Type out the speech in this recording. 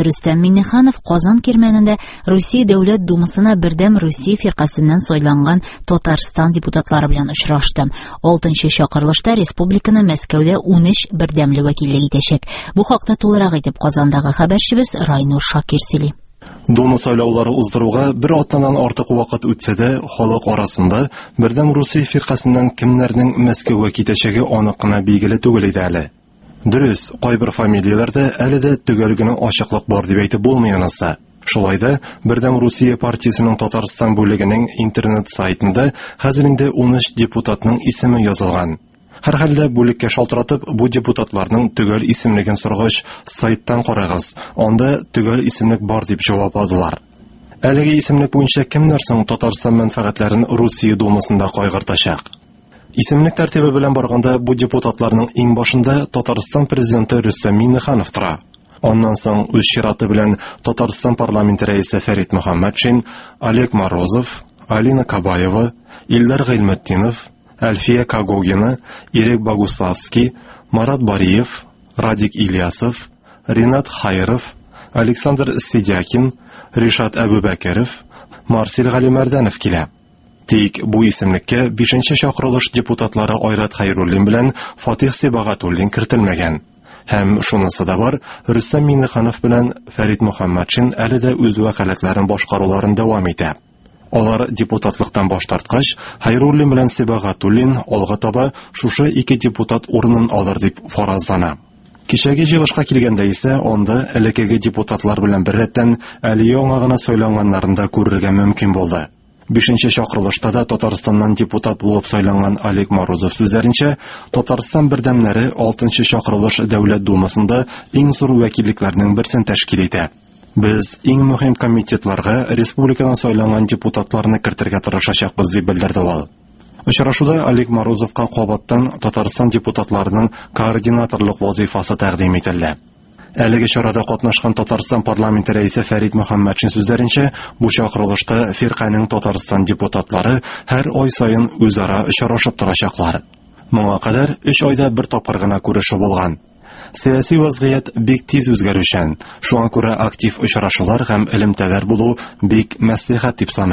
Рөстәм Миңнеханов Казан Кирмәнендә Русия Дәүләт Думасына Бердәм Русия фиркасеннән сайланган Татарстан депутатлары белән очрашты. 6нчы чакырылышта республиканы Мәскәүдә 13 бердәмле вәкиллек итәчәк. Бу хакта тулырак итеп Казандагы хәбәрчебез Райнур Шакир сөйли. Дума сайлаулары уздыруга бер атнадан артык вакыт үтсә дә, халык арасында Бердәм Русия фиркасеннән кемнәрнең Мәскәүгә китәчәге анык кына билгеле түгел иде әле. Дөрес, кайбер фамилияләрдә әле дә төгәл генә ачыклык бар дип әйтеп булмый анысы. Шулай да Бердәм Русия партиясенең Татарстан бүлегенең интернет сайтында хәзер инде 13 депутатның исеме язылган. Һәрхәлдә бүлеккә шалтыратып, бу депутатларның төгәл исемлеген сорагач, сайттан карагыз, анда төгәл исемлек бар дип җавапладылар. Әлеге исемлек буенча кемнәр соң Татарстан мәнфәгатьләрен Русия Думасында кайгыртачак? Исемлек тәртибе белән барганда бу депутатларның иң башында Татарстан президенты Рөстәм Миңнеханов тора. Аннан соң үз чираты белән Татарстан парламенты рәисе Фәрит Мөхәммәтшин, Олег Морозов, Алина Кабаева, Илдар Гыйльметдинов, Әлфия Когогина, Ирек Богуславский, Марат Бариев, Радик Ильясов, Ринат Хайров, Александр Сидякин, Ришат Әбүбәкеров, Марсель Галимәрдәнов килә. Тик бу исемлеккә 5нче чакырылыш депутатлары Айрат Хәйруллин белән Фатих Сибагатуллин кертелмәгән. Һәм шунысы да бар, Рөстәм Миңнеханов белән Фәрит Мөхәммәтшин әле дә үз вәкаләтләрен башкаруларын дәвам итә. Алар депутатлыктан баш тарткач, Хәйруллин белән Сибагатуллин алга таба шушы ике депутат урынын алыр дип фаразлана. Кичәге җыелышка килгәндә исә, анда элеккеге депутатлар белән беррәттән әле яңа гына сайланганнарын да күрергә мөмкин булды. Бишенче чакырылышта да Татарстаннан депутат булып сайланган Олег Морозов сүзләренчә, Татарстан бердәмнәре 6нчы чакырылыш Дәүләт Думасында иң зур вәкиллекләрнең берсен тәшкил итә. Без иң мөһим комитетларга республикадан сайланган депутатларны кертергә тырышачакбыз, дип белдерде ул. Очрашуда Олег Морозовка кабаттан Татарстан депутатларының координаторлык вазифасы тәкъдим ителде. Әлеге чарада катнашкан Татарстан парламенты рәисе Фәрит Мөхәммәтшин сүзләренчә, бу чакырылышта фирканең Татарстан депутатлары һәр ай саен үзара очрашып торачаклар. Моңа кадәр 3 айда бер тапкыр гына күрешү булган. Сәяси вазгыять бик тиз үзгәрүчән, шуңа күрә актив очрашулар һәм элемтәләр булу бик мәслихәт дип саный.